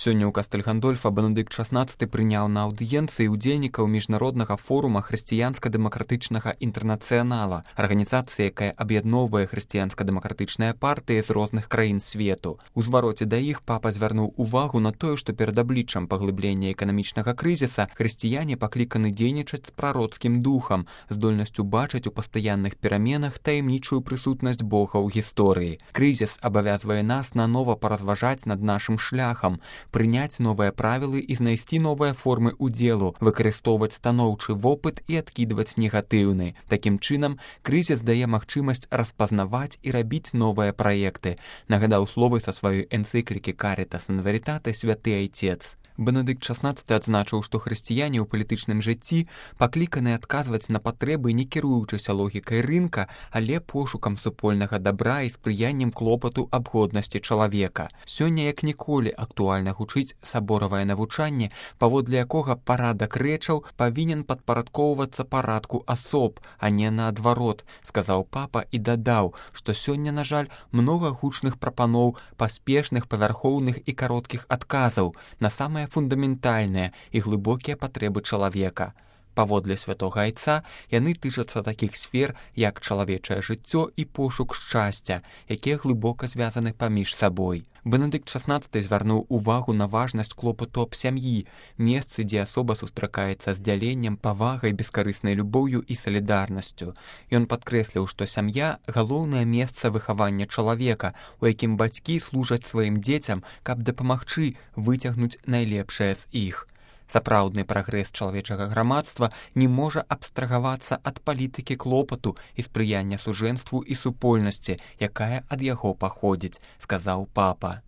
Сёння ў Кастэль-Гандольфа Бенедыкт XVI прыняў на аўдыенцыі ўдзельнікаў міжнароднага форума хрысціянска-дэмакратычнага інтэрнацыянала, арганізацыі, якая аб'ядноўвае хрысціянска-дэмакратычныя партыі з розных краін свету. У звароце да іх папа звярнуў увагу на тое, што перад абліччам паглыблення эканамічнага крызіса хрысціяне пакліканы дзейнічаць з прароцкім духам, здольнасцю бачыць у пастаянных пераменах таямнічую прысутнасць Бога ў гісторыі. Крызіс абавязвае нас нанова паразважаць над нашым шляхам, прыняць новыя правілы і знайсці новыя формы ўдзелу, выкарыстоўваць станоўчы вопыт і адкідваць негатыўны. Такім чынам, крызіс дае магчымасць распазнаваць і рабіць новыя праекты, нагадаў словы са сваёй энцыклікі «Caritas in Veritate» святы айцец. Бенедыкт XVI адзначыў, што хрысціяне ў палітычным жыцці пакліканы адказваць на патрэбы, не кіруючыся логікай рынка, але пошукам супольнага дабра і спрыяннем клопату аб годнасці чалавека. Сёння як ніколі актуальна гучыць саборавае навучанне, паводле якога парадак рэчаў павінен падпарадкоўвацца парадку асоб, а не наадварот, сказаў папа і дадаў, што сёння, на жаль, многа гучных прапаноў, паспешных, павярхоўных і кароткіх адказаў на самыя фундаментальныя і глыбокія патрэбы чалавека. Паводле святога айца яны тычацца такіх сфер, як чалавечае жыццё і пошук шчасця, якія глыбока звязаны паміж сабой. Бенедыкт XVI звярнуў увагу на важнасць клопату аб сям'і, месцы, дзе асоба сустракаецца з дзяленнем, павагай, бескарыснай любоўю і салідарнасцю. Ён падкрэсліў, што сям'я – галоўнае месца выхавання чалавека, у якім бацькі служаць сваім дзецям, каб дапамагчы выцягнуць найлепшае з іх. Сапраўдны прагрэс чалавечага грамадства не можа абстрагавацца ад палітыкі клопату і спрыяння сужэнству і супольнасці, якая ад яго паходзіць, сказаў папа.